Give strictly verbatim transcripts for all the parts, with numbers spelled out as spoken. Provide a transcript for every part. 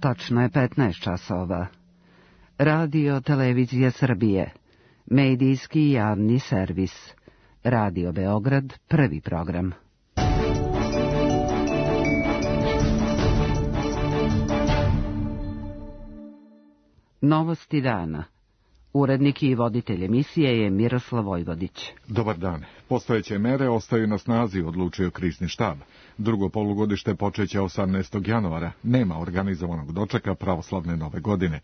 Tačno je petnaest časova. Radio Televizija Srbije, medijski javni servis. Radio Beograd, prvi program. Novosti dana. Urednik i voditelj emisije je Miroslav Vojvodić. Dobar dan. Postojeće mere ostaju na snazi, odlučio krizni štab. Drugo polugodište počeće osamnaestog januara. Nema organizovanog dočeka pravoslavne nove godine.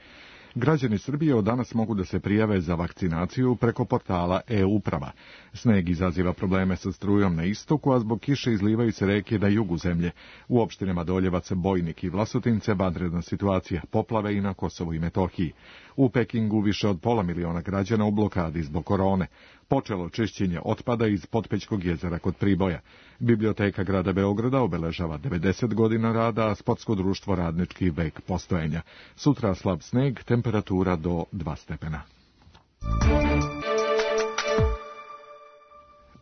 Građani Srbije od danas mogu da se prijave za vakcinaciju preko portala e-uprava. Sneg izaziva probleme sa strujom na istoku, a zbog kiše izlivaju se reke na jugu zemlje. U opštinama Doljevac, Bojnik i Vlasotince vanredna situacija, poplave i na Kosovu i Metohiji. U Pekingu više od pola miliona građana u blokadi zbog korone. Počelo čišćenje otpada iz Potpećkog jezera kod Priboja. Biblioteka grada Beograda obeležava devedeset godina rada, a Sportsko društvo Radnički vek postojanja. Sutra slab sneg, temperatura do dva stepena.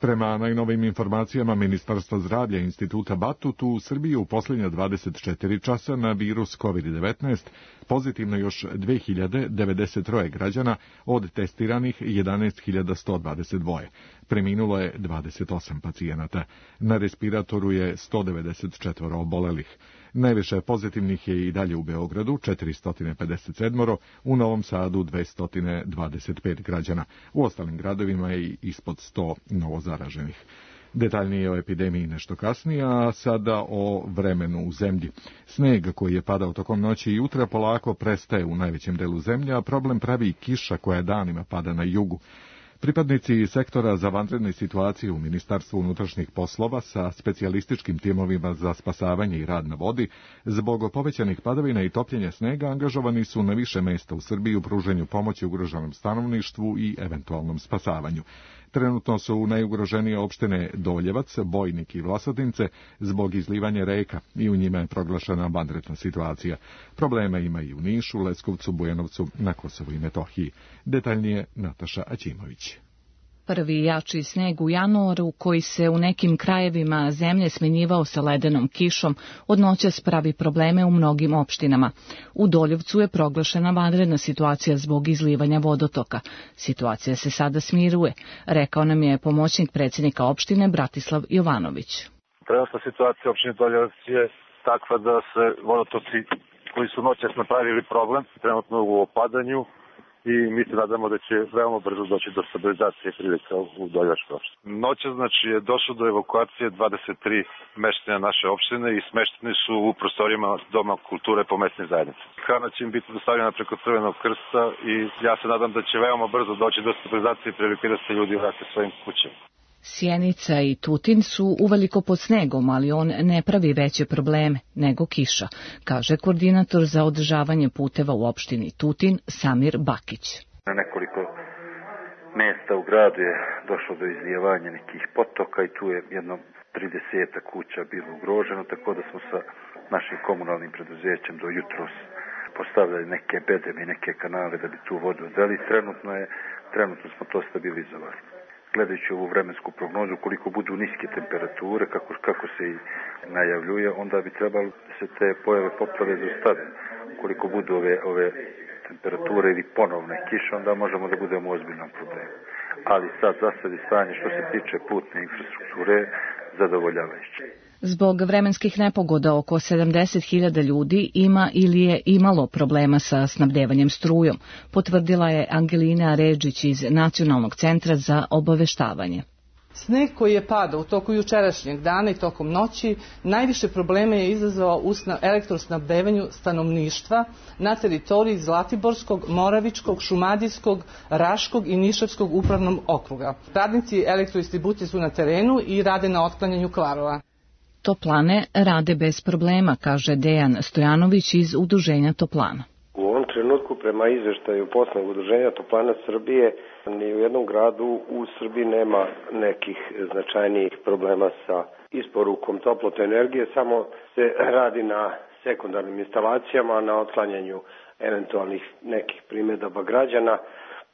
Prema najnovijim informacijama Ministarstva zdravlja Instituta Batut, u Srbiji u posljednja dvadeset četiri časa na virus kovid devetnaest pozitivno još dve hiljade devedeset tri građana, od testiranih jedanaest hiljada sto dvadeset dva. Preminulo je dvadeset osam pacijenata. Na respiratoru je sto devedeset četiri obolelih. Najviše pozitivnih je i dalje u Beogradu, četiristo pedeset sedam, u Novom Sadu dvesta dvadeset pet građana. U ostalim gradovima je ispod sto novozaraženih. Detaljnije o epidemiji nešto kasnije, a sada o vremenu u zemlji. Sneg koji je padao tokom noći i jutra polako prestaje u najvećem delu zemlje, a problem pravi kiša koja danima pada na jugu. Pripadnici sektora za vanredne situacije u Ministarstvu unutrašnjih poslova sa specijalističkim timovima za spasavanje i rad na vodi, zbog povećanih padavina i topljenja snega angažovani su na više mesta u Srbiji u pruženju pomoći ugroženom stanovništvu i eventualnom spasavanju. Trenutno su najugroženije opštine Doljevac, Bojnik i Vlasotince zbog izlivanja reka i u njima je proglašena vanredna situacija. Probleme ima i u Nišu, Leskovcu, Bujanovcu, na Kosovu i Metohiji. Detaljnije Nataša Aćimović. Prvi jači sneg u januaru, koji se u nekim krajevima zemlje smenjivao sa ledenom kišom, od noćas pravi probleme u mnogim opštinama. U Doljevcu je proglašena vanredna situacija zbog izlivanja vodotoka. Situacija se sada smiruje, rekao nam je pomoćnik predsjednika opštine Bratislav Jovanović. Trenutna situacija u opštini Doljevac je takva da se vodotoci koji su noćas napravili problem, trenutno u opadanju, i mi se nadamo da će veoma brzo doći do stabilizacije prilika u Doljevačkoj opštini. Noća znači je došlo do evakuacije dvadeset tri mešćana naše opštine i smešteni su u prostorijama Doma kulture po mesnim zajednicama. Hrana će im biti dostavljena preko Crvenog krsta i ja se nadam da će veoma brzo doći do stabilizacije prilike da se ljudi vrate svojim kućama. Sjenica i Tutin su uveliko pod snegom, ali on ne pravi veće probleme nego kiša, kaže koordinator za održavanje puteva u opštini Tutin Samir Bakić. Na nekoliko mjesta u gradu je došlo do izlijevanja nekih potoka i tu je jedno trideset kuća bilo ugroženo, tako da smo sa našim komunalnim preduzećem do jutros postavljali neke bedeme i neke kanale da bi tu vodu odveli. Trenutno je, trenutno smo to stabilizovali. Gledajući ovu vremensku prognozu, koliko budu niske temperature, kako, kako se i najavljuje, onda bi trebalo da se te pojave poplave zaustave. Koliko budu ove, ove temperature ili ponovne kiše, onda možemo da budemo u ozbiljnom problemu. Ali sad za sad je stanje što se tiče putne infrastrukture zadovoljavajuće. Zbog vremenskih nepogoda oko sedamdeset hiljada ljudi ima ili je imalo problema sa snabdevanjem strujom, potvrdila je Angelina Ređić iz Nacionalnog centra za obaveštavanje. Sneg koji je padao u toku jučerašnjeg dana i tokom noći najviše probleme je izazvao u elektrosnabdevanju stanovništva na teritoriji Zlatiborskog, Moravičkog, Šumadijskog, Raškog i Nišavskog upravnog okruga. Radnici elektrodistribucije su na terenu i rade na otklanjanju kvarova. Toplane rade bez problema, kaže Dejan Stojanović iz Udruženja Toplana. U ovom trenutku, prema izveštaju poslovnog udruženja Toplana Srbije, ni u jednom gradu u Srbiji nema nekih značajnijih problema sa isporukom toplotne energije, samo se radi na sekundarnim instalacijama, na otklanjanju eventualnih nekih primjedaba građana,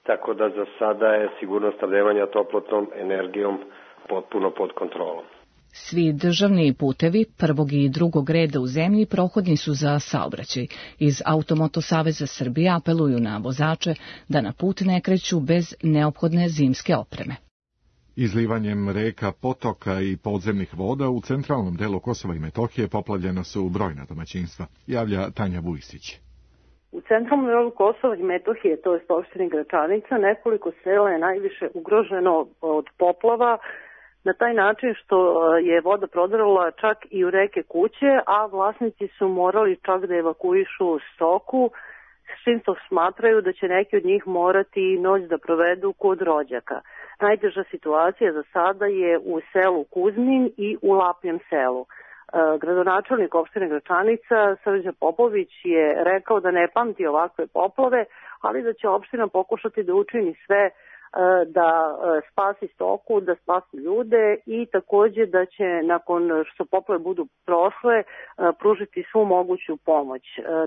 tako da za sada je sigurnost snabdevanja toplotnom energijom potpuno pod kontrolom. Svi državni putevi prvog i drugog reda u zemlji prohodni su za saobraćaj. Iz Automoto saveza Srbije apeluju na vozače da na put ne kreću bez neophodne zimske opreme. Izlivanjem reka, potoka i podzemnih voda u centralnom delu Kosova i Metohije poplavljena su brojna domaćinstva, javlja Tanja Vujsić. U centralnom delu Kosova i Metohije, to je opštini Gračanica, nekoliko sela je najviše ugroženo od poplava, na taj način što je voda prodrala čak i u reke kuće, a vlasnici su morali čak da evakuišu stoku, s čim to smatraju da će neki od njih morati noć da provedu kod rođaka. Najteža situacija za sada je u selu Kuzmin i u Lapnjem selu. Gradonačelnik opštine Gračanica, Srđan Popović, je rekao da ne pamti ovakve poplave, ali da će opština pokušati da učini sve da spasi stoku, da spasi ljude i takođe da će nakon što poplave budu prošle pružiti svu moguću pomoć.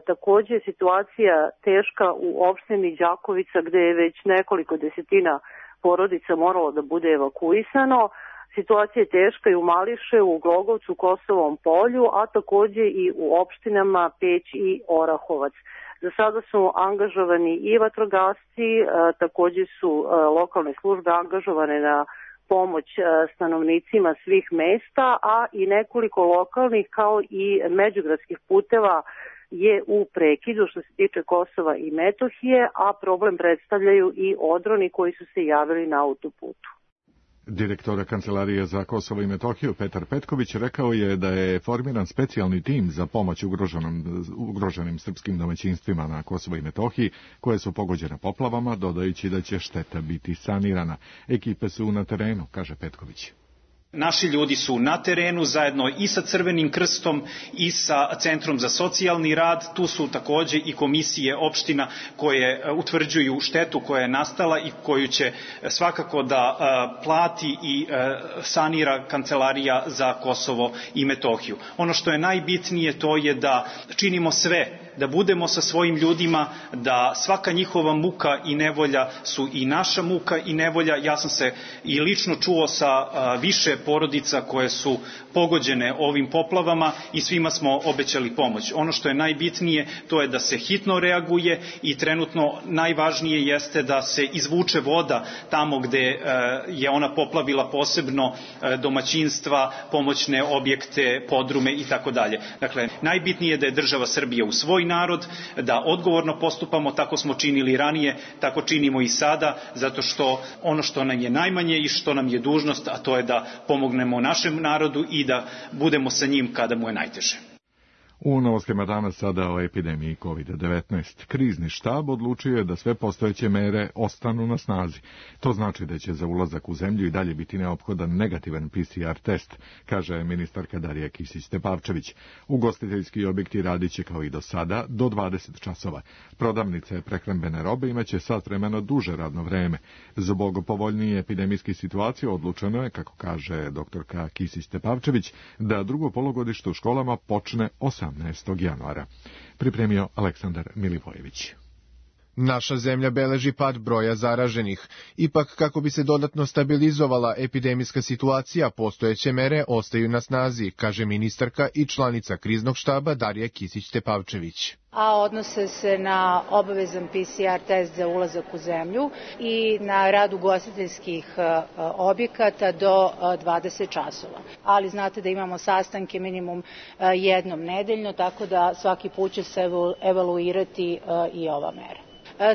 Takođe je situacija teška u opštini Đakovica gde je već nekoliko desetina porodica moralo da bude evakuisano. Situacija je teška i u Mališe, u Glogovcu, Kosovom polju, a takođe i u opštinama Peć i Orahovac. Za sada su angažovani i vatrogasci, takođe su lokalne službe angažovane na pomoć stanovnicima svih mesta, a i nekoliko lokalnih kao i međugradskih puteva je u prekidu što se tiče Kosova i Metohije, a problem predstavljaju i odroni koji su se javili na autoputu. Direktor Kancelarije za Kosovo i Metohiju Petar Petković rekao je da je formiran specijalni tim za pomoć ugroženim, ugroženim srpskim domaćinstvima na Kosovo i Metohiji koje su pogođene poplavama, dodajući da će šteta biti sanirana. Ekipe su na terenu, kaže Petković. Naši ljudi su na terenu zajedno i sa Crvenim krstom i sa Centrom za socijalni rad. Tu su takođe i komisije opština koje utvrđuju štetu koja je nastala i koju će svakako da plati i sanira Kancelarija za Kosovo i Metohiju. Ono što je najbitnije to je da činimo sve, da budemo sa svojim ljudima, da svaka njihova muka i nevolja su i naša muka i nevolja. Ja sam se i lično čuo sa više porodica koje su pogođene ovim poplavama i svima smo obećali pomoć. Ono što je najbitnije to je da se hitno reaguje i trenutno najvažnije jeste da se izvuče voda tamo gde je ona poplavila posebno domaćinstva, pomoćne objekte, podrume i tako dalje. Dakle, najbitnije je da je država Srbija u svoj narod, da odgovorno postupamo, tako smo činili ranije, tako činimo i sada, zato što ono što nam je najmanje i što nam je dužnost, a to je da pomognemo našem narodu i da budemo sa njim kada mu je najteže. U novostima danas sada o epidemiji kovid devetnaest. Krizni štab odlučio je da sve postojeće mere ostanu na snazi. To znači da će za ulazak u zemlju i dalje biti neophodan negativan P C R test, kaže ministarka Darija Kisić-Tepavčević. Ugostiteljski objekti radit će kao i do sada do dvadeset časova. Prodavnice prehrambene robe imaće sat vremena duže radno vreme. Zbog povoljnije epidemijske situacije odlučeno je, kako kaže doktorka Kisić-Tepavčević, da drugo polugodište u školama počne osamnaestog januara. Pripremio Aleksandar Milivojević. Naša zemlja beleži pad broja zaraženih. Ipak, kako bi se dodatno stabilizovala epidemijska situacija, postojeće mere ostaju na snazi, kaže ministarka i članica kriznog štaba Darija Kisić-Tepavčević. A odnose se na obavezan P C R test za ulazak u zemlju i na rad ugostiteljskih objekata do dvadeset časova. Ali znate da imamo sastanke minimum jednom nedeljno, tako da svaki put će se evaluirati i ova mera.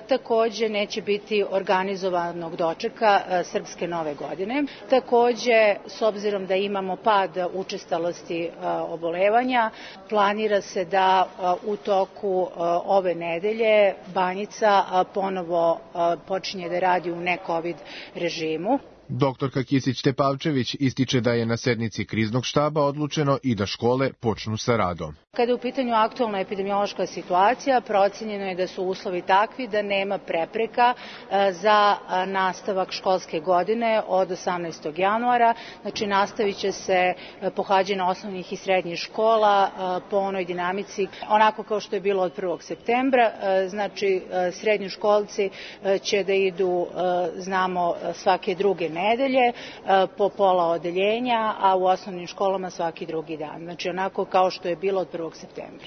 Takođe neće biti organizovanog dočeka Srpske nove godine. Takođe, s obzirom da imamo pad učestalosti obolevanja, planira se da u toku ove nedelje Banjica ponovo počinje da radi u ne-covid režimu. Doktorka Kisić-Tepavčević ističe da je na sednici kriznog štaba odlučeno i da škole počnu sa radom. Kada je u pitanju aktualna epidemiološka situacija, procenjeno je da su uslovi takvi da nema prepreka za nastavak školske godine od osamnaestog januara. Znači, nastavit će se pohađanje osnovnih i srednjih škola po onoj dinamici, onako kao što je bilo od prvog septembra. Znači, srednjoškolci će da idu, znamo, svake druge nedelje, po pola odeljenja, a u osnovnim školama svaki drugi dan. Znači onako kao što je bilo od prvog septembra.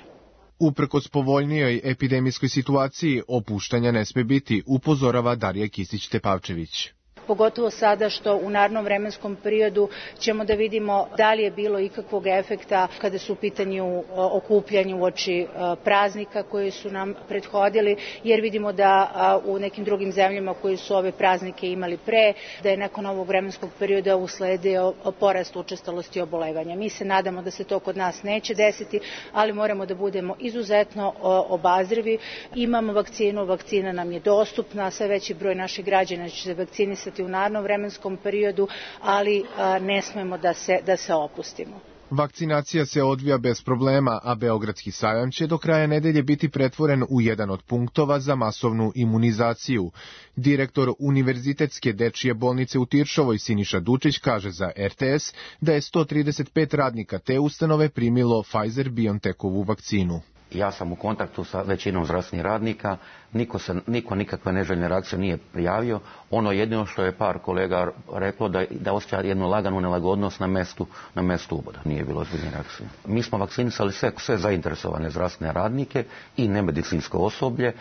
Uprkos povoljnijoj epidemijskoj situaciji, opuštanja ne sme biti, upozorava Darija Kisić-Tepavčević. Pogotovo sada što u narednom vremenskom periodu ćemo da vidimo da li je bilo ikakvog efekta kada su u pitanju okupljanja uoči praznika koji su nam prethodili, jer vidimo da u nekim drugim zemljama koji su ove praznike imali pre, da je nakon ovog vremenskog perioda usledio porast učestalosti obolevanja. Mi se nadamo da se to kod nas neće desiti, ali moramo da budemo izuzetno obazrivi. Imamo vakcinu, vakcina nam je dostupna, sve veći broj naših građana će se vakcinisati u narednom vremenskom periodu, ali a, ne smemo da se, da se opustimo. Vakcinacija se odvija bez problema, a Beogradski sajam će do kraja nedelje biti pretvoren u jedan od punktova za masovnu imunizaciju. Direktor Univerzitetske dečije bolnice u Tiršovoj Siniša Dučić kaže za R T S da je sto trideset pet radnika te ustanove primilo Pfizer-BioNTechovu vakcinu. Ja sam u kontaktu sa većinom zdravstvenih radnika, niko, se, niko nikakve neželjne reakcije nije prijavio. Ono jedino što je par kolega reklo da, da osjeća jednu laganu nelagodnost na mestu, na mestu uboda. Nije bilo ozbiljne reakcije. Mi smo vakcinisali sve, sve zainteresovane zdravstvene radnike i nemedicinsko osoblje.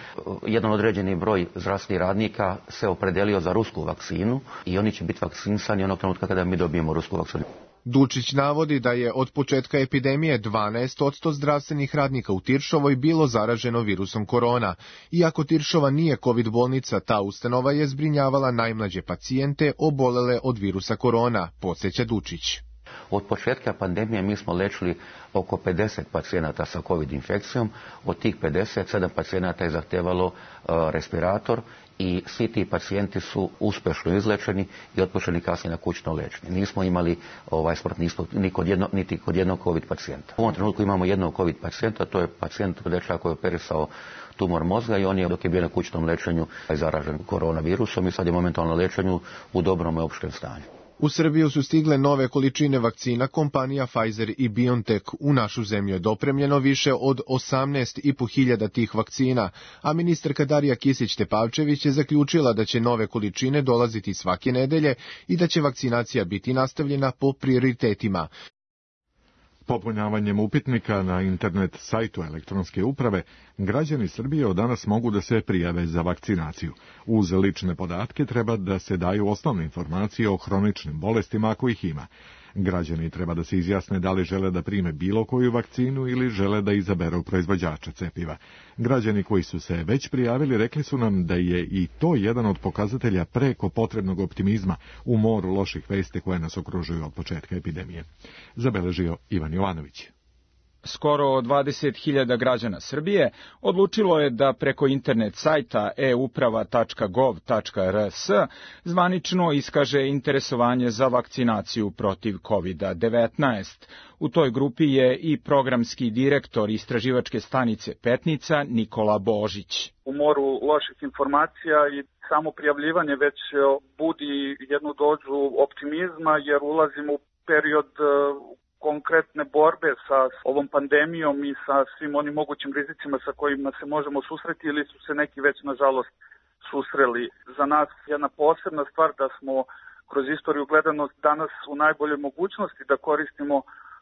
Jedan određeni broj zdravstvenih radnika se opredelio za rusku vakcinu i oni će biti vakcinisani onog trenutka kada mi dobijemo rusku vakcinu. Dučić navodi da je od početka epidemije dvanaest posto zdravstvenih radnika u Tiršovoj bilo zaraženo virusom korona. Iako Tiršova nije kovid bolnica, ta ustanova je zbrinjavala najmlađe pacijente obolele od virusa korona, podsjeća Dučić. Od početka pandemije mi smo lečili oko pedeset pacijenata sa covid infekcijom, od tih pedeset sedam pacijenata je zahtevalo uh, respirator i svi ti pacijenti su uspješno izlečeni i otpušteni kasnije na kućno liječenje. Nismo imali ovaj smrt ni kod jedno, niti kod jednog covid pacijenta. U ovom trenutku imamo jednog covid pacijenta, to je pacijent dečak koji je operisao tumor mozga i on je dok je bio na kućnom liječenju zaražen koronavirusom i sad je momentalno liječenju u dobrom i opštem stanju. U Srbiju su stigle nove količine vakcina kompanija Pfizer i BioNTech. U našu zemlju je dopremljeno više od osamnaest i po hiljada tih vakcina, a ministarka Darija Kisić-Tepavčević je zaključila da će nove količine dolaziti svake nedelje i da će vakcinacija biti nastavljena po prioritetima. Popunjavanjem upitnika na internet sajtu elektronske uprave, građani Srbije od danas mogu da se prijave za vakcinaciju. Uz lične podatke treba da se daju osnovne informacije o hroničnim bolestima ako ih ima. Građani treba da se izjasne da li žele da prime bilo koju vakcinu ili žele da izaberu proizvođača cepiva. Građani koji su se već prijavili rekli su nam da je i to jedan od pokazatelja preko potrebnog optimizma u moru loših vesti koje nas okružuju od početka epidemije. Zabeležio Ivan Jovanović. Skoro dvadeset hiljada građana Srbije odlučilo je da preko internet sajta e uprava tačka gov tačka er es zvanično iskaže interesovanje za vakcinaciju protiv kovid devetnaest. U toj grupi je i programski direktor istraživačke stanice Petnica Nikola Božić. U moru loših informacija i samo prijavljivanje već budi jednu dozu optimizma jer ulazimo u period konkretne borbe sa ovom pandemijom i sa svim onim mogućim rizicima sa kojima se možemo susreti ili su se neki već nažalost susreli. Za nas jedna posebna stvar da smo kroz istoriju gledanost danas u najboljoj mogućnosti da koristimo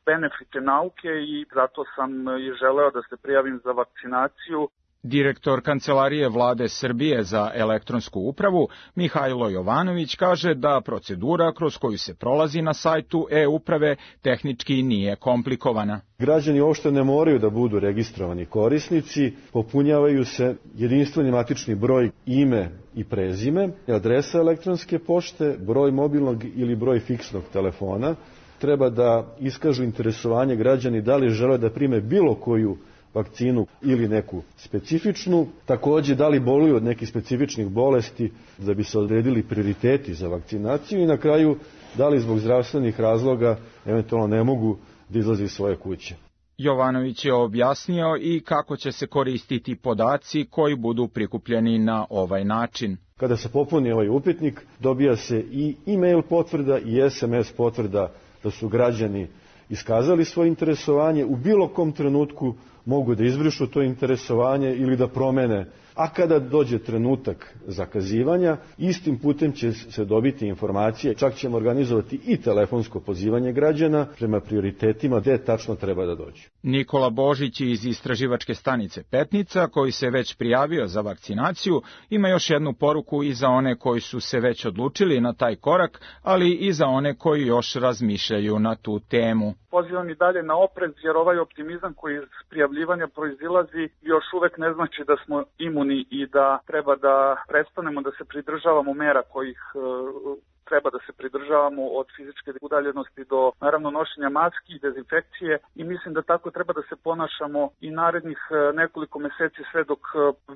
benefite nauke i zato sam i želeo da se prijavim za vakcinaciju. Direktor Kancelarije Vlade Srbije za elektronsku upravu Mihajlo Jovanović kaže da procedura kroz koju se prolazi na sajtu e-uprave tehnički nije komplikovana. Građani uopšte ne moraju da budu registrovani korisnici, popunjavaju se jedinstveni matični broj, ime i prezime, adresa elektronske pošte, broj mobilnog ili broj fiksnog telefona. Treba da iskažu interesovanje građani da li žele da prime bilo koju vakcinu ili neku specifičnu, takođe da li boluju od nekih specifičnih bolesti da bi se odredili prioriteti za vakcinaciju i na kraju da li zbog zdravstvenih razloga eventualno ne mogu da izlaze iz svoje kuće. Jovanović je objasnio i kako će se koristiti podaci koji budu prikupljeni na ovaj način. Kada se popuni ovaj upitnik, dobija se i e-mail potvrda i es em es potvrda da su građani iskazali svoje interesovanje, u bilo kom trenutku mogu da izbrišu to interesovanje ili da promene a kada dođe trenutak zakazivanja, istim putem će se dobiti informacije, čak ćemo organizovati i telefonsko pozivanje građana prema prioritetima gde tačno treba da dođu. Nikola Božić iz istraživačke stanice Petnica, koji se već prijavio za vakcinaciju, ima još jednu poruku i za one koji su se već odlučili na taj korak, ali i za one koji još razmišljaju na tu temu. Pozivam i dalje na oprez, jer ovaj optimizam koji iz prijavljivanja proizilazi još uvek ne znači da smo imuni i da treba da prestanemo da se pridržavamo mera kojih treba da se pridržavamo, od fizičke udaljenosti do naravno nošenja maski i dezinfekcije, i mislim da tako treba da se ponašamo i narednih nekoliko meseci sve dok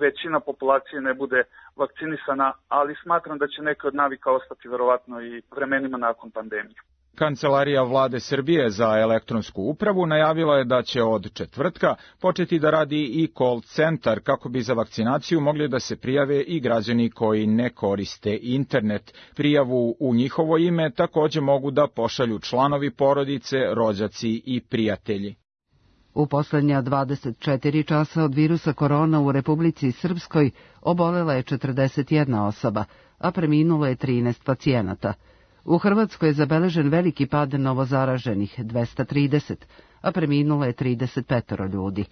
većina populacije ne bude vakcinisana, ali smatram da će neke od navika ostati verovatno i vremenima nakon pandemije. Kancelarija Vlade Srbije za elektronsku upravu najavila je da će od četvrtka početi da radi i call centar kako bi za vakcinaciju mogli da se prijave i građani koji ne koriste internet. Prijavu u njihovo ime takođe mogu da pošalju članovi porodice, rođaci i prijatelji. U poslednja dvadeset četiri časa od virusa korona u Republici Srpskoj obolela je četrdeset jedna osoba, a preminulo je trinaest pacijenata. U Hrvatskoj je zabeležen veliki pad novozaraženih, dvesta trideset, a preminulo je trideset pet ljudi.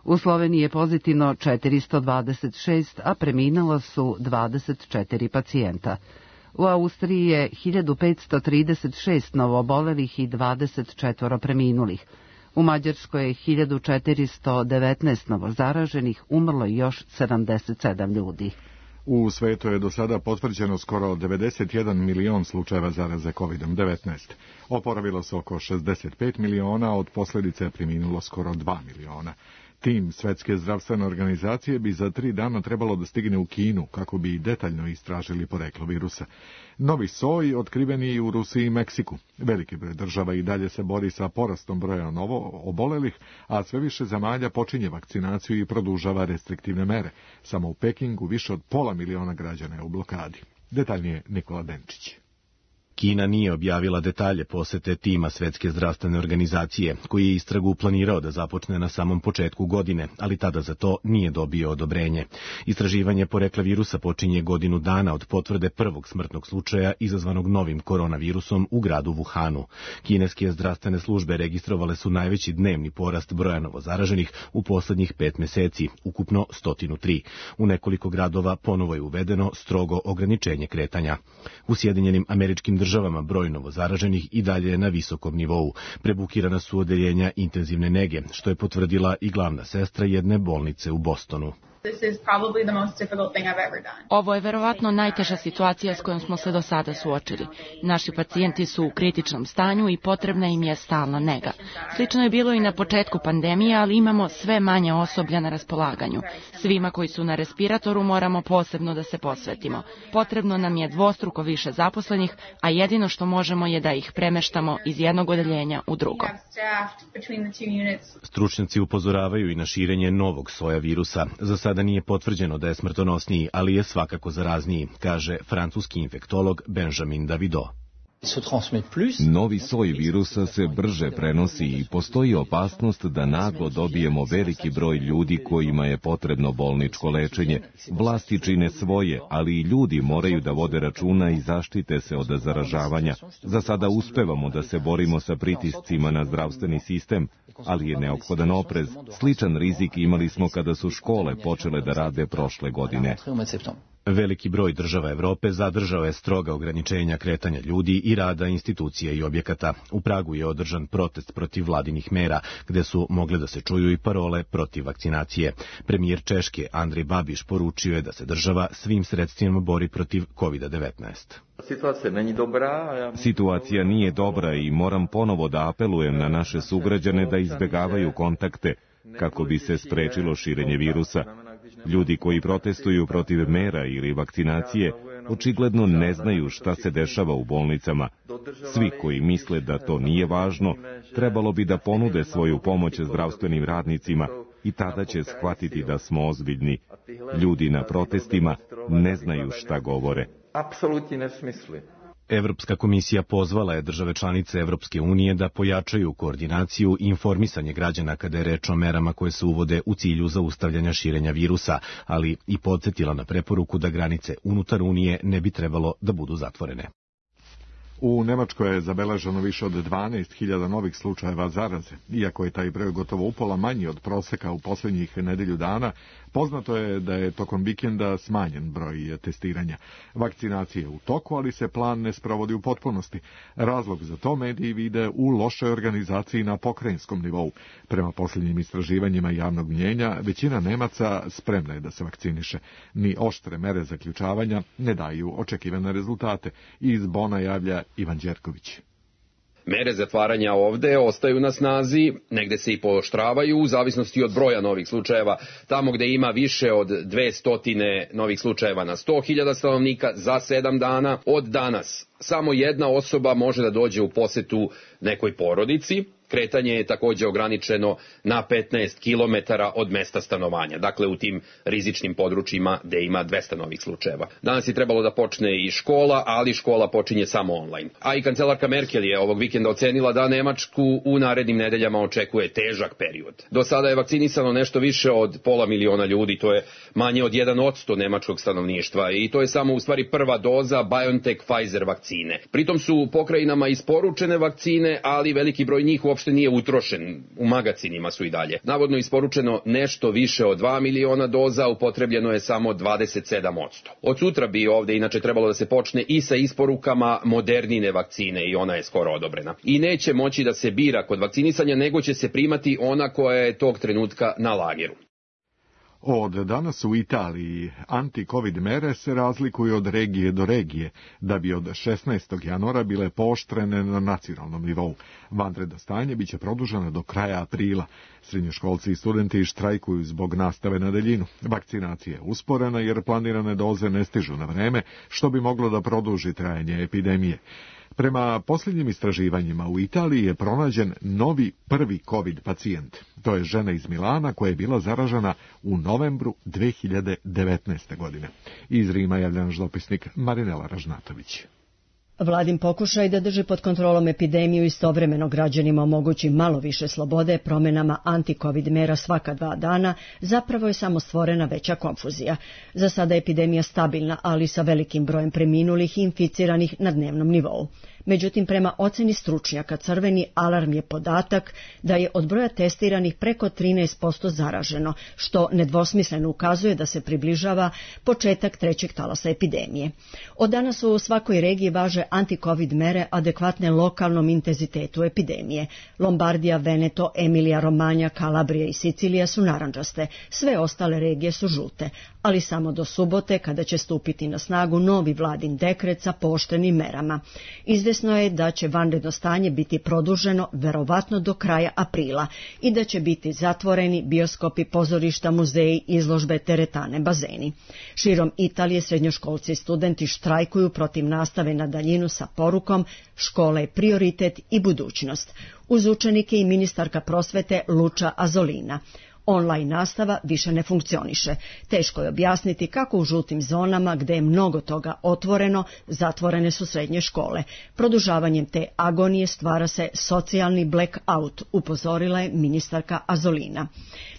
U Sloveniji je pozitivno četiristo dvadeset šest, a preminula su dvadeset četiri pacijenta. U Austriji je hiljadu petsto trideset šest novoobolelih i dvadeset četiri preminulih. U Mađarskoj je hiljadu četiristo devetnaest novozaraženih, umrlo je još sedamdeset sedam ljudi. U svetu je do sada potvrđeno skoro devedeset jedan milion slučajeva zaraze kovidom devetnaest. Oporavilo se oko šezdeset pet miliona, od posljedice je preminulo skoro dva miliona. Tim Svetske zdravstvene organizacije bi za tri dana trebalo da stigne u Kinu kako bi detaljno istražili poreklo virusa. Novi soj otkriven je i u Rusiji i Meksiku. Veliki broj država i dalje se bori sa porastom broja novo obolelih, a sve više zemalja počinje vakcinaciju i produžava restriktivne mere. Samo u Pekingu više od pola miliona građana je u blokadi. Detaljnije Nikola Denčić. Kina nije objavila detalje posete tima Svetske zdravstvene organizacije, koji je istragu planirao da započne na samom početku godine, ali tada za to nije dobio odobrenje. Istraživanje porekla virusa počinje godinu dana od potvrde prvog smrtnog slučaja izazvanog novim koronavirusom u gradu Wuhanu. Kineske zdravstvene službe registrovale su najveći dnevni porast broja novozaraženih u poslednjih pet meseci, ukupno sto tri. U nekoliko gradova ponovo je uvedeno strogo ograničenje kretanja. U Sjedinjenim Američkim državama državama broj novozaraženih i dalje je na visokom nivou. Prebukirana su odeljenja intenzivne nege, što je potvrdila i glavna sestra jedne bolnice u Bostonu. Ovo je verovatno najteža situacija s kojom smo se do sada suočili. Naši pacijenti su u kritičnom stanju i potrebna im je stalna nega. Slično je bilo i na početku pandemije, ali imamo sve manje osoblja na raspolaganju. Svima koji su na respiratoru moramo posebno da se posvetimo. Potrebno nam je dvostruko više zaposlenih, a jedino što možemo je da ih premeštamo iz jednog odeljenja u drugo. Stručnjaci upozoravaju i na širenje novog soja virusa. Za sada nije potvrđeno da je smrtonosniji, ali je svakako zarazniji, kaže francuski infektolog Benjamin Davido. Novi soj virusa se brže prenosi i postoji opasnost da naglo dobijemo veliki broj ljudi kojima je potrebno bolničko lečenje. Vlasti čine svoje, ali i ljudi moraju da vode računa i zaštite se od zaražavanja. Za sada uspevamo da se borimo sa pritiscima na zdravstveni sistem, ali je neophodan oprez. Sličan rizik imali smo kada su škole počele da rade prošle godine. Veliki broj država Evrope zadržao je stroga ograničenja kretanja ljudi i rada institucija i objekata. U Pragu je održan protest protiv vladinih mera, gde su mogle da se čuju i parole protiv vakcinacije. Premijer Češke Andrej Babiš poručio je da se država svim sredstvima bori protiv kovida devetnaest. Situacija nije dobra i moram ponovo da apelujem na naše sugrađane da izbegavaju kontakte kako bi se sprečilo širenje virusa. Ljudi koji protestuju protiv mera ili vakcinacije očigledno ne znaju šta se dešava u bolnicama. Svi koji misle da to nije važno, trebalo bi da ponude svoju pomoć zdravstvenim radnicima i tada će shvatiti da smo ozbiljni. Ljudi na protestima ne znaju šta govore. Evropska komisija pozvala je države članice Evropske unije da pojačaju koordinaciju i informisanje građana kada je reč o merama koje se uvode u cilju zaustavljanja širenja virusa, ali i podsjetila na preporuku da granice unutar Unije ne bi trebalo da budu zatvorene. U Nemačkoj je zabeleženo više od dvanaest hiljada novih slučajeva zaraze. Iako je taj broj gotovo upola manji od proseka u posljednjih nedelju dana, poznato je da je tokom vikenda smanjen broj testiranja. Vakcinacija je u toku, ali se plan ne sprovodi u potpunosti. Razlog za to mediji vide u lošoj organizaciji na pokrajinskom nivou. Prema posljednjim istraživanjima javnog mnjenja, većina Nemaca spremna je da se vakciniše. Ni oštre mere zaključavanja ne daju očekivane rezultate. Iz Bona javlja Ivan Đerković. Mere zatvaranja ovde ostaju na snazi, negde se i pooštravaju u zavisnosti od broja novih slučajeva. Tamo gde ima više od dvesta novih slučajeva na sto hiljada stanovnika za sedam dana, od danas samo jedna osoba može da dođe u posetu nekoj porodici. Kretanje je takođe ograničeno na petnaest kilometara od mesta stanovanja, dakle u tim rizičnim područjima gde ima dvesta novih slučajeva. Danas je trebalo da počne i škola, ali škola počinje samo online. A i kancelarka Merkel je ovog vikenda ocenila da Nemačku u narednim nedeljama očekuje težak period. Do sada je vakcinisano nešto više od pola miliona ljudi, to je manje od jedan posto nemačkog stanovništva i to je samo u stvari prva doza BioNTech Pfizer vakcine. Pritom su pokrajinama isporučene vakcine, ali veliki broj njih uopšte uopšte nije utrošen, u magacinima su i dalje. Navodno isporučeno nešto više od dva miliona doza, upotrebljeno je samo dvadeset sedam posto. Od sutra bi ovde inače trebalo da se počne i sa isporukama Modernine vakcine i ona je skoro odobrena. I neće moći da se bira kod vakcinisanja, nego će se primati ona koja je tog trenutka na lageru. Od danas u Italiji anti-covid mere se razlikuju od regije do regije, da bi od šesnaestog januara bile pooštrene na nacionalnom nivou. Vanredno stanje biće produženo do kraja aprila. Srednjoškolci i studenti štrajkuju zbog nastave na daljinu. Vakcinacija je usporena jer planirane doze ne stižu na vreme, što bi moglo da produži trajanje epidemije. Prema posljednjim istraživanjima u Italiji je pronađen novi prvi covid pacijent. To je žena iz Milana koja je bila zaražena u novembru dve hiljade devetnaeste. godine. Iz Rima javlja naš dopisnik Marinela Ražnatović. Vladin pokušaj da drži pod kontrolom epidemiju istovremeno građanima omogući malo više slobode promenama anti-covid mera svaka dva dana, zapravo je samo stvorena veća konfuzija. Za sada je epidemija stabilna, ali sa velikim brojem preminulih i inficiranih na dnevnom nivou. Međutim, prema oceni stručnjaka, crveni alarm je podatak da je od broja testiranih preko trinaest posto zaraženo, što nedvosmisleno ukazuje da se približava početak trećeg talasa epidemije. Od danas u svakoj regiji važe anti-covid mere adekvatne lokalnom intenzitetu epidemije. Lombardija, Veneto, Emilija, Romanja, Kalabrija i Sicilija su narandžaste, sve ostale regije su žute, ali samo do subote kada će stupiti na snagu novi vladin dekret sa pooštrenim merama. Izvesno je da će vanredno stanje biti produženo verovatno do kraja aprila i da će biti zatvoreni bioskopi, pozorišta, muzeji, izložbe, teretane, bazeni. Širom Italije srednjoškolci i studenti štrajkuju protiv nastave na daljinu sa porukom škola je prioritet i budućnost. Uz učenike i ministarka prosvete Luča Azolina. Online nastava više ne funkcioniše. Teško je objasniti kako u žutim zonama, gde je mnogo toga otvoreno, zatvorene su srednje škole. Produžavanjem te agonije stvara se socijalni blackout, upozorila je ministarka Azolina.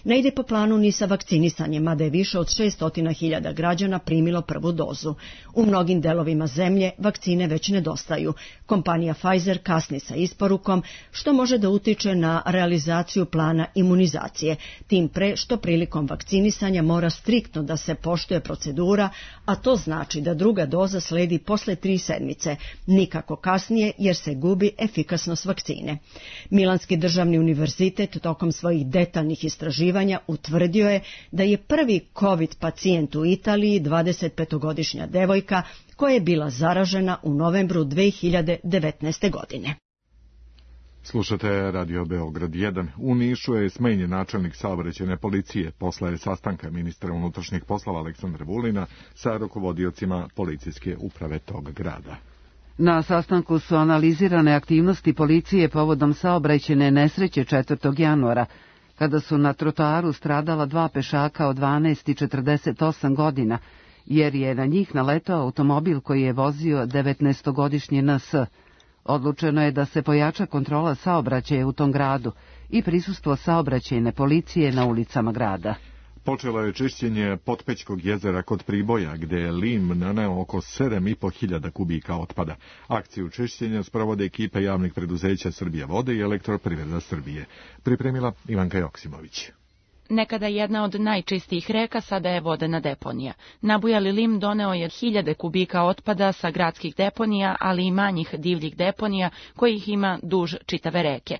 Ne ide po planu ni sa vakcinisanjem, mada je više od šessto hiljada građana primilo prvu dozu. U mnogim delovima zemlje vakcine već nedostaju. Kompanija Pfizer kasni sa isporukom, što može da utiče na realizaciju plana imunizacije. Tim pre što prilikom vakcinisanja mora striktno da se poštuje procedura, a to znači da druga doza sledi posle tri sedmice, nikako kasnije jer se gubi efikasnost vakcine. Milanski državni univerzitet tokom svojih detaljnih istraživanja utvrdio je da je prvi covid pacijent u Italiji dvadesetpetogodišnja devojka koja je bila zaražena u novembru dve hiljade devetnaeste. godine. Slušate Radio Beograd jedan. U Nišu je smenjen načelnik saobraćajne policije posle sastanka ministra unutrašnjih poslova Aleksandra Vulina sa rukovodiocima policijske uprave tog grada. Na sastanku su analizirane aktivnosti policije povodom saobraćajne nesreće četvrtog januara, kada su na trotoaru stradala dva pešaka od dvanaest i četrdeset osam godina jer je na njih naletao automobil koji je vozio devetnaestogodišnji N S. Odlučeno je da se pojača kontrola saobraćaja u tom gradu i prisustvo saobraćajne policije na ulicama grada. Počelo je čišćenje Potpećkog jezera kod Priboja, gde je lim naneo oko sedam i po hiljada kubika otpada. Akciju čišćenja sprovode ekipe javnih preduzeća Srbija vode i Elektroprivreda Srbije. Pripremila Ivanka Joksimović. Nekada jedna od najčistijih reka, sada je vodena deponija. Nabujali lim doneo je hiljade kubika otpada sa gradskih deponija, ali i manjih divljih deponija, kojih ima duž čitave reke.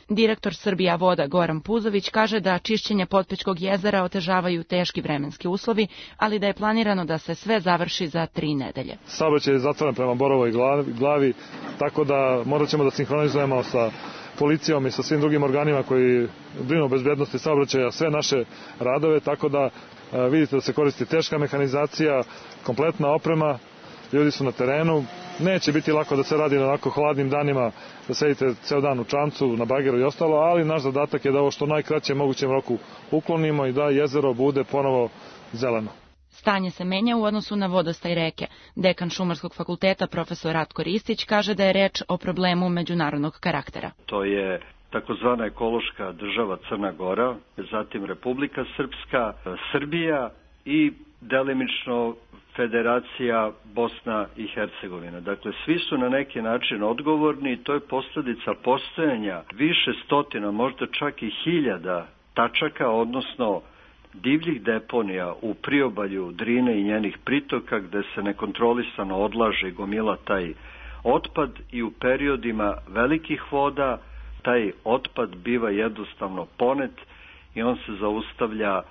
Direktor Srbija voda Goran Puzović kaže da čišćenje Potpećkog jezera otežavaju teški vremenski uslovi, ali da je planirano da se sve završi za tri nedelje. Saobraćaj je zatvoren prema Borovoj glavi, tako da morat ćemo da sinhronizujemo sa policijom i sa svim drugim organima koji brinu o bezbednosti saobraćaja sve naše radove, tako da vidite da se koristi teška mehanizacija, kompletna oprema, ljudi su na terenu. Neće biti lako da se radi na onako hladnim danima, da sedite ceo dan u čamcu, na bageru i ostalo, ali naš zadatak je da ovo što najkraće mogućem roku uklonimo i da jezero bude ponovo zeleno. Stanje se menja u odnosu na vodostaj reke. Dekan Šumarskog fakulteta profesor Ratko Ristić kaže da je reč o problemu međunarodnog karaktera. To je takozvana ekološka država Crna Gora, zatim Republika Srpska, Srbija i delimično Federacija Bosna i Hercegovina. Dakle, svi su na neki način odgovorni i to je posljedica postojanja više stotina, možda čak i hiljada tačaka, odnosno divljih deponija u priobalju Drine i njenih pritoka gde se nekontrolisano odlaže i gomila taj otpad i u periodima velikih voda taj otpad biva jednostavno ponet i on se zaustavlja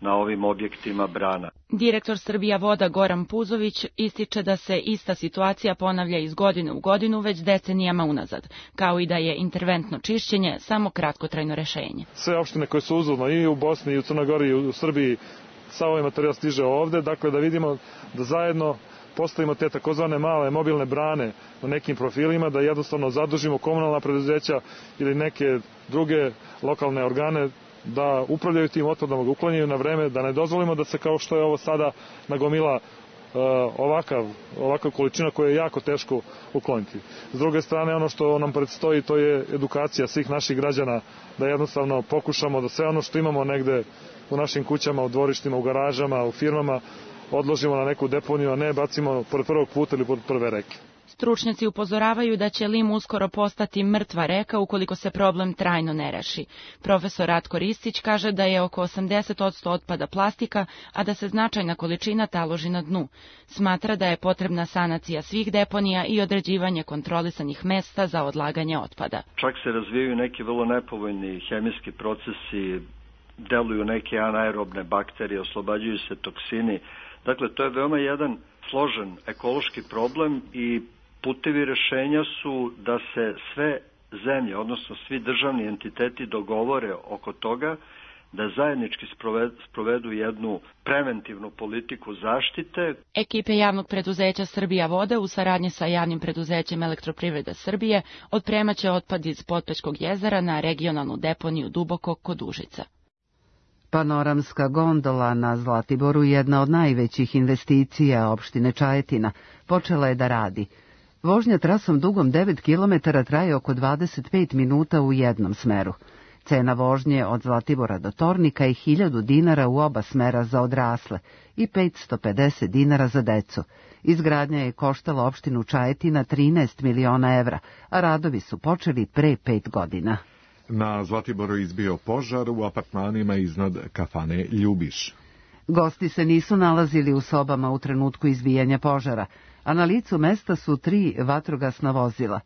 na ovim objektima brana. Direktor Srbija voda Goran Puzović ističe da se ista situacija ponavlja iz godine u godinu već decenijama unazad, kao i da je interventno čišćenje samo kratkotrajno rešenje. Sve opštine koje su uzvodno i u Bosni i u Crnoj Gori i u Srbiji, sav ovaj materijal stiže ovde, dakle da vidimo da zajedno postavimo te takozvane male mobilne brane na nekim profilima, da jednostavno zadužimo komunalna preduzeća ili neke druge lokalne organe da upravljaju tim otpadom, da uklanjaju na vreme, da ne dozvolimo da se kao što je ovo sada nagomila uh, ovakav, ovakav količina koja je jako teško ukloniti. S druge strane, ono što nam predstoji, to je edukacija svih naših građana, da jednostavno pokušamo da sve ono što imamo negde u našim kućama, u dvorištima, u garažama, u firmama, odložimo na neku deponiju, a ne bacimo pored prvog puta ili pored prve reke. Stručnjaci upozoravaju da će lim uskoro postati mrtva reka ukoliko se problem trajno ne reši. Profesor Ratko Ristić kaže da je oko osamdeset posto otpada plastika, a da se značajna količina taloži na dnu. Smatra da je potrebna sanacija svih deponija i određivanje kontrolisanih mesta za odlaganje otpada. Čak se razvijaju neki vrlo nepovoljni hemijski procesi, deluju neke anaerobne bakterije, oslobađaju se toksini. Dakle, to je veoma jedan složen ekološki problem i putevi rešenja su da se sve zemlje, odnosno svi državni entiteti dogovore oko toga, da zajednički sprovedu jednu preventivnu politiku zaštite. Ekipe javnog preduzeća Srbija voda u saradnji sa javnim preduzećem Elektroprivreda Srbije otpremaće otpad iz Potpećkog jezera na regionalnu deponiju Duboko kod Užica. Panoramska gondola na Zlatiboru, jedna od najvećih investicija opštine Čajetina, počela je da radi. Vožnja trasom dugom devet kilometara traje oko dvadeset pet minuta u jednom smeru. Cena vožnje od Zlatibora do Tornika je hiljadu dinara u oba smera za odrasle i petsto pedeset dinara za decu. Izgradnja je koštala opštinu Čajetina trinaest miliona evra, a radovi su počeli pre pet godina. Na Zlatiboru izbio požar u apartmanima iznad kafane Ljubiš. Gosti se nisu nalazili u sobama u trenutku izbijanja požara, a na licu mesta su tri vatrogasna vozila.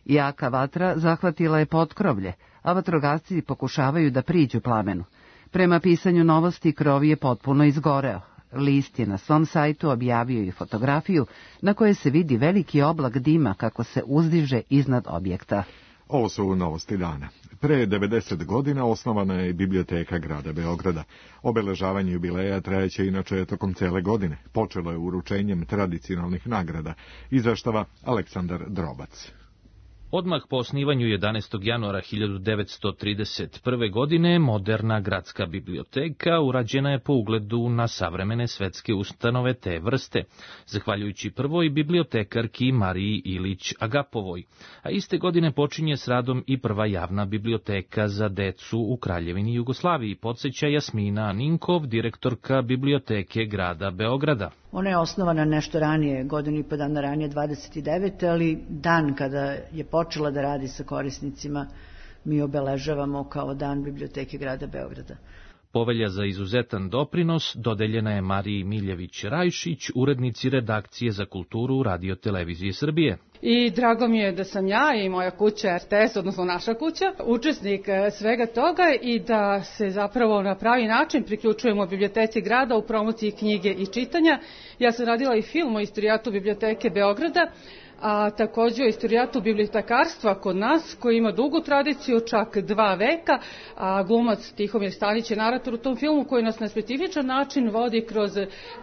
Jaka vatra zahvatila je potkrovlje, a vatrogasci pokušavaju da priđu plamenu. Prema pisanju Novosti, krov je potpuno izgoreo. List je na svom sajtu objavio i fotografiju na kojoj se vidi veliki oblak dima kako se uzdiže iznad objekta. Ovo su novosti dana. Pre devedeset godina osnovana je biblioteka grada Beograda. Obeležavanje jubileja trajeće inače tokom cele godine. Počelo je uručenjem tradicionalnih nagrada. Izveštava Aleksandar Drobac. Odmah po osnivanju jedanaestog januara hiljadu devetsto trideset prve. godine moderna gradska biblioteka urađena je po ugledu na savremene svetske ustanove te vrste, zahvaljujući prvoj bibliotekarki Mariji Ilić Agapovoj, a iste godine počinje s radom i prva javna biblioteka za decu u Kraljevini Jugoslaviji, podsjeća Jasmina Ninkov, direktorka biblioteke grada Beograda. Ona je osnovana nešto ranije, godinu i po dana ranije, dvadeset devete. ali dan kada je počela da radi sa korisnicima mi obeležavamo kao dan biblioteke grada Beograda. Povelja za izuzetan doprinos dodeljena je Mariji Miljević-Rajšić, urednici redakcije za kulturu Radio-televizije Srbije. I drago mi je da sam ja i moja kuća R T S, odnosno naša kuća, učesnik svega toga i da se zapravo na pravi način priključujemo biblioteci grada u promociji knjige i čitanja. Ja sam radila i film o istorijatu biblioteke Beograda, a također o istorijatu bibliotekarstva kod nas, koji ima dugu tradiciju, čak dva veka, a glumac Tihomir Stanić je narator u tom filmu koji nas na specifičan način vodi kroz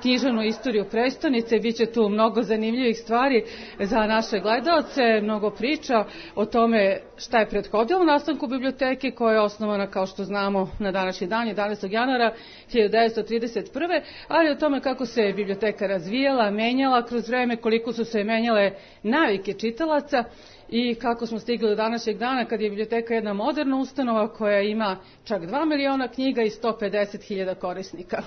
književnu istoriju prestonice. Biće tu mnogo zanimljivih stvari za naše gledaoce, mnogo priča o tome šta je prethodilo nastanku biblioteke, koja je osnovana, kao što znamo, na današnji dan, jedanaestog januara hiljadu devetsto trideset prve. ali o tome kako se biblioteka razvijala, menjala kroz vreme, koliko su se menjale navike čitalaca i kako smo stigli do današnjeg dana kad je biblioteka jedna moderna ustanova koja ima čak dva miliona knjiga i sto pedeset hiljada korisnika.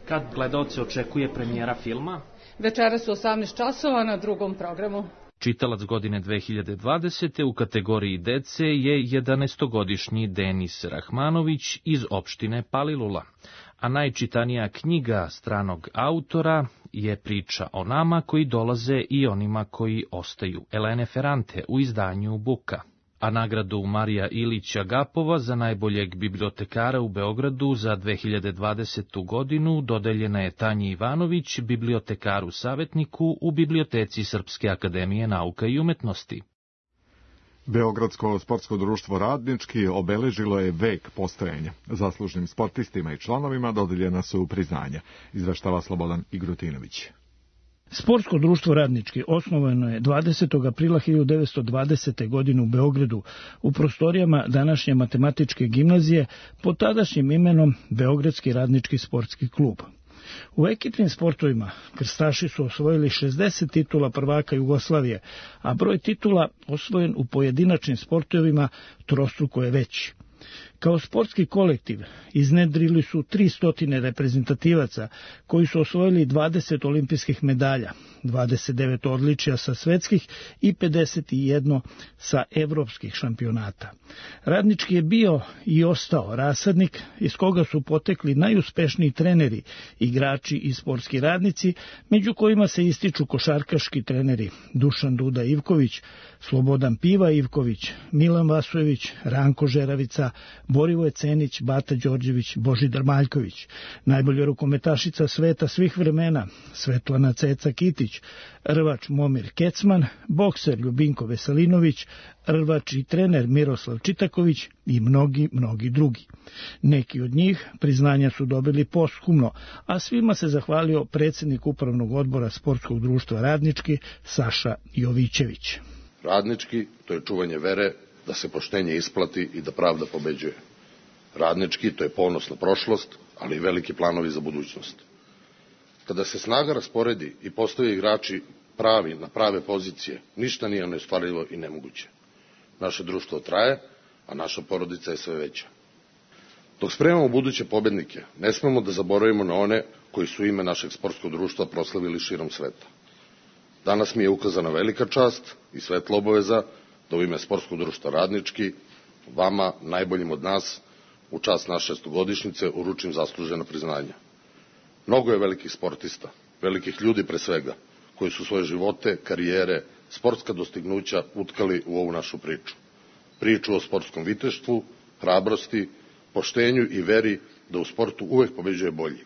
Kad gledaoci očekuje premijera filma? Večeras u osamnaest časova na drugom programu. Čitalac godine dve hiljade dvadesete. u kategoriji dece je jedanaestogodišnji Denis Rahmanović iz opštine Palilula, a najčitanija knjiga stranog autora je Priča o nama koji dolaze i onima koji ostaju, Elene Ferrante u izdanju Buka. A nagradu Marija Ilić Agapova za najboljeg bibliotekara u Beogradu za dve hiljade dvadesetu. godinu dodeljena je Tanji Ivanović, bibliotekaru savjetniku u Biblioteci Srpske akademije nauka i umetnosti. Beogradsko sportsko društvo Radnički obeležilo je vek postojanja. Zaslužnim sportistima i članovima dodeljena su priznanja, izveštava Slobodan Igrutinović. Sportsko društvo Radnički osnovano je dvadesetog aprila hiljadu devetsto dvadesete. godine u Beogradu u prostorijama današnje matematičke gimnazije pod tadašnjim imenom Beogradski radnički sportski klub. U ekipnim sportovima krstaši su osvojili šezdeset titula prvaka Jugoslavije, a broj titula osvojen u pojedinačnim sportovima trostruko je veći. Kao sportski kolektiv iznedrili su tristo reprezentativaca koji su osvojili dvadeset olimpijskih medalja, dvadeset devet odličja sa svetskih i pedeset jedan sa evropskih šampionata. Radnički je bio i ostao rasadnik iz koga su potekli najuspešniji treneri, igrači i sportski radnici, među kojima se ističu košarkaški treneri Dušan Duda Ivković, Slobodan Piva Ivković, Milan Vasojević, Ranko Žeravica, Borivoje Cenić, Bata Đorđević, Božidar Maljković, najbolja rukometašica sveta svih vremena Svetlana Ceca Kitić, rvač Momir Kecman, bokser Ljubinko Veselinović, rvač i trener Miroslav Čitaković i mnogi, mnogi drugi. Neki od njih priznanja su dobili posthumno, a svima se zahvalio predsjednik upravnog odbora Sportskog društva Radnički Saša Jovićević. Radnički, to je čuvanje vere da se poštenje isplati i da pravda pobeđuje. Radnički, to je ponos na prošlost, ali i veliki planovi za budućnost. Kada se snaga rasporedi i postave igrači pravi na prave pozicije, ništa nije neostvarivo i nemoguće. Naše društvo traje, a naša porodica je sve veća. Dok spremamo buduće pobednike, ne smemo da zaboravimo na one koji su ime našeg sportskog društva proslavili širom sveta. Danas mi je ukazana velika čast i svetla obaveza da u ime Sportskog društva Radnički vama, najboljim od nas, u čast naše stogodišnjice uručim zaslužena priznanja. Mnogo je velikih sportista, velikih ljudi pre svega, koji su svoje živote, karijere, sportska dostignuća utkali u ovu našu priču. Priču o sportskom viteštvu, hrabrosti, poštenju i veri da u sportu uvek pobeđuje bolji.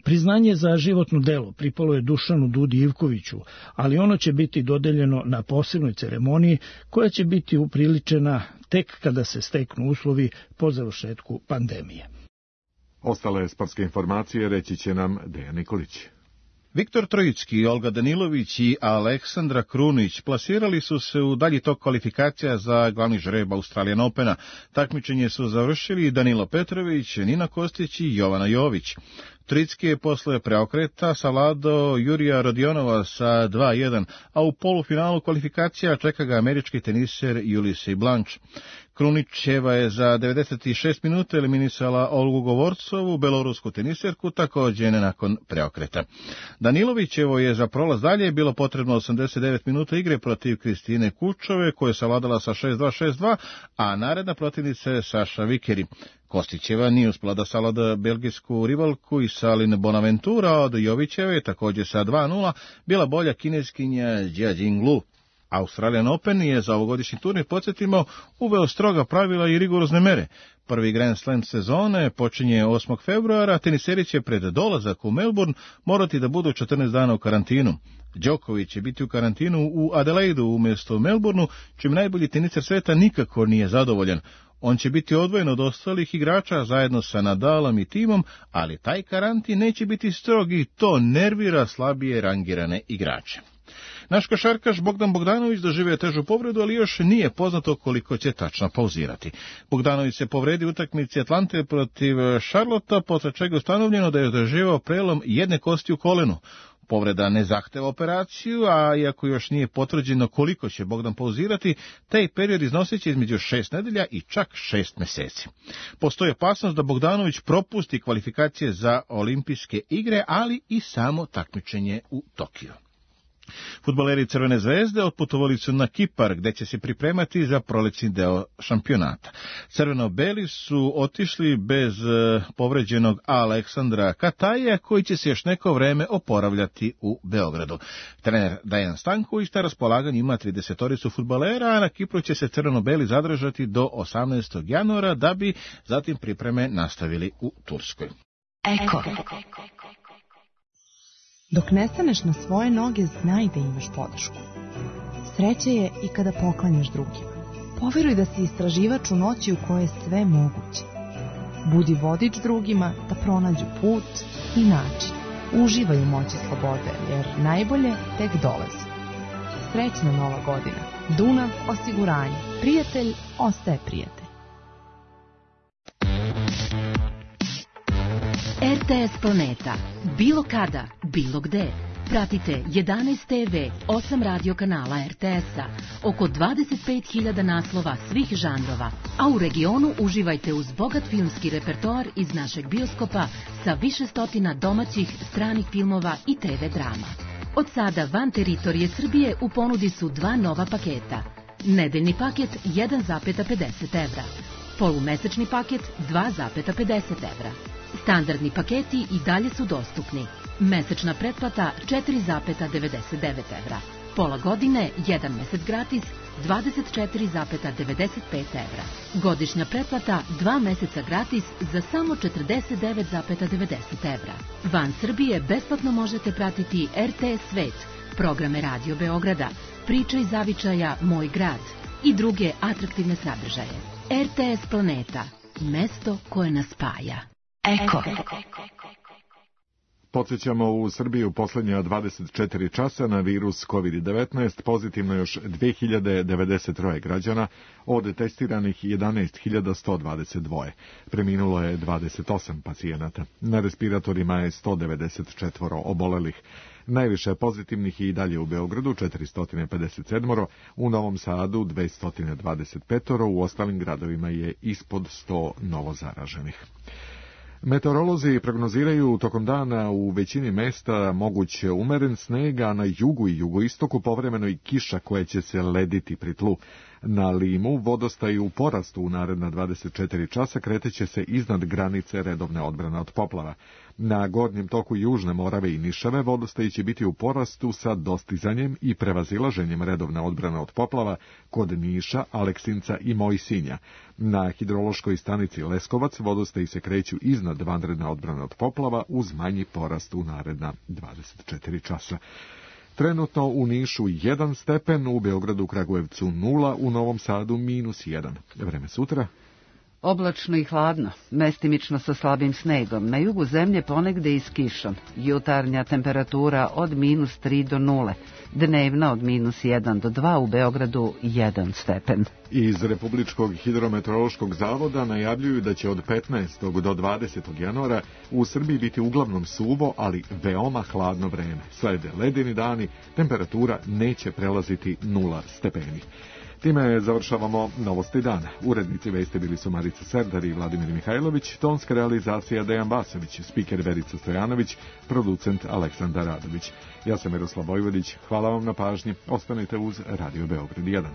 Priznanje za životno delo pripalo je Dušanu Dudi Ivkoviću, ali ono će biti dodeljeno na posebnoj ceremoniji koja će biti upriličena tek kada se steknu uslovi po završetku pandemije. Ostale sportske informacije reći će nam Dejan Nikolić. Viktor Trojicki, Olga Danilović i Aleksandra Krunić plasirali su se u dalji tok kvalifikacija za glavni žreb Australian Opena. Takmičenje su završili Danilo Petrović, Nina Kostić i Jovana Jović. Trojicki je posle preokreta savladao Jurija Rodionova sa dva jedan, a u polufinalu kvalifikacija čeka ga američki teniser Ulysse Blanche. Krunićeva je za devedeset šest minuta eliminisala Olgu Govorcovu, belorusku teniserku, također nakon preokreta. Danilovićevo je za prolaz dalje bilo potrebno osamdeset devet minuta igre protiv Kristine Kučove, koja je savladala sa šest dva šest dva, a naredna protivnica je Saša Vikeri. Kostićeva nije uspela da savlada belgijsku rivalku i Salin Bonaventura, od Jovićeve također sa dva nula bila bolja kineskinja Jia Jinglu. Australian Open je za ovogodišnji turnir, podsjetimo, uveo stroga pravila i rigorozne mere. Prvi Grand Slam sezone počinje osmog februara, teniseri će pred dolazak u Melbourne morati da budu četrnaest dana u karantinu. Đoković će biti u karantinu u Adelaidu umjesto u Melbourneu, čim najbolji teniser sveta nikako nije zadovoljan. On će biti odvojen od ostalih igrača zajedno sa Nadalom i timom, ali taj karantin neće biti strog i to nervira slabije rangirane igrače. Naš košarkaš Bogdan Bogdanović doživio težu povredu, ali još nije poznato koliko će tačno pauzirati. Bogdanović se povredi u utakmici Atlante protiv Charlotta, posle čega je ustanovljeno da je doživio prelom jedne kosti u kolenu. Povreda ne zahteva operaciju, a iako još nije potvrđeno koliko će Bogdan pauzirati, taj period iznosit će između šest nedelja i čak šest meseci. Postoji opasnost da Bogdanović propusti kvalifikacije za olimpijske igre, ali i samo takmičenje u Tokiju. Fudbaleri Crvene zvezde otputovali su na Kipar, gde će se pripremati za prolećni deo šampionata. Crveno-beli su otišli bez povređenog Aleksandra Kataja, koji će se još neko vreme oporavljati u Beogradu. Trener Dejan Stanković na raspolaganju ima tridesetoricu fudbalera, a na Kipru će se crveno-beli zadržati do osamnaestog januara, da bi zatim pripreme nastavili u Turskoj. Eko. Dok ne staneš na svoje noge, znaj da imaš podršku. Sreća je i kada poklanjaš drugima. Poveruj da si istraživač u noći u kojoj je sve moguće. Budi vodič drugima da pronađu put i način. Uživaj u moći slobode, jer najbolje tek dolazi. Srećna nova godina. Dunav osiguranje. Prijatelj ostaje prijatelj. R T S Planeta. Bilo kada, bilo gde. Pratite jedanaest te ve, osam radio kanala R T S-a, oko dvadeset pet hiljada naslova svih žanrova, a u regionu uživajte uz bogat filmski repertoar iz našeg bioskopa sa više stotina domaćih, stranih filmova i te ve drama. Od sada van teritorije Srbije u ponudi su dva nova paketa. Nedeljni paket jedan zarez pedeset evra, polumesečni paket dva zarez pedeset evra. Standardni paketi i dalje su dostupni. Mesečna pretplata četiri zarez devedeset devet evra. Pola godine, jedan mesec gratis, dvadeset četiri zarez devedeset pet evra. Godišnja pretplata, dva meseca gratis za samo četrdeset devet zarez devedeset evra. Van Srbije besplatno možete pratiti R T S Svet, programe Radio Beograda, Priče iz zavičaja Moj grad i druge atraktivne sadržaje. R T S Planeta, mesto koje nas spaja. Eko. Podsjećamo, u Srbiji u posljednja dvadeset četiri časa na virus kovid devetnaest pozitivno još dve hiljade devedeset tri građana, od testiranih jedanaest hiljada sto dvadeset dva. Preminulo je dvadeset osam pacijenata. Na respiratorima je sto devedeset četiri obolelih. Najviše pozitivnih i dalje u Beogradu, četiristo pedeset sedam, u Novom Sadu dvesta dvadeset pet, u ostalim gradovima je ispod sto novozaraženih. Meteorolozi prognoziraju tokom dana u većini mesta moguć umeren sneg, a na jugu i jugoistoku povremeno i kiša koja će se lediti pri tlu. Na Limu vodostaj u porastu u naredna dvadeset četiri časa kreteće se iznad granice redovne odbrane od poplava. Na gornjem toku Južne Morave i Nišave vodostaj će biti u porastu sa dostizanjem i prevazilaženjem redovne odbrane od poplava kod Niša, Aleksinca i Mojsinja. Na hidrološkoj stanici Leskovac vodostaj se kreću iznad vanredne odbrane od poplava uz manji porast u naredna dvadeset četiri časa. Trenutno u Nišu jedan stepen, u Beogradu, Kragujevcu nula, u Novom Sadu minus jedan. Vreme sutra? Oblačno i hladno, mestimično sa slabim snegom, na jugu zemlje ponegde i s kišom, jutarnja temperatura od minus tri do nule, dnevna od minus jedan do dva, u Beogradu jedan stepen. Iz Republičkog hidrometeorološkog zavoda najavljuju da će od petnaestog do dvadesetog januara u Srbiji biti uglavnom suvo, ali veoma hladno vreme. Slede ledeni dani, temperatura neće prelaziti nula stepeni. Time završavamo Novosti dana. Urednici vesti bili su Marica Serdar i Vladimir Mihajlović, tonska realizacija Dejan Basović, spiker Verica Stojanović, producent Aleksandar Radović. Ja sam Miroslav Vojvodić, hvala vam na pažnji, ostanite uz Radio Beograd jedan.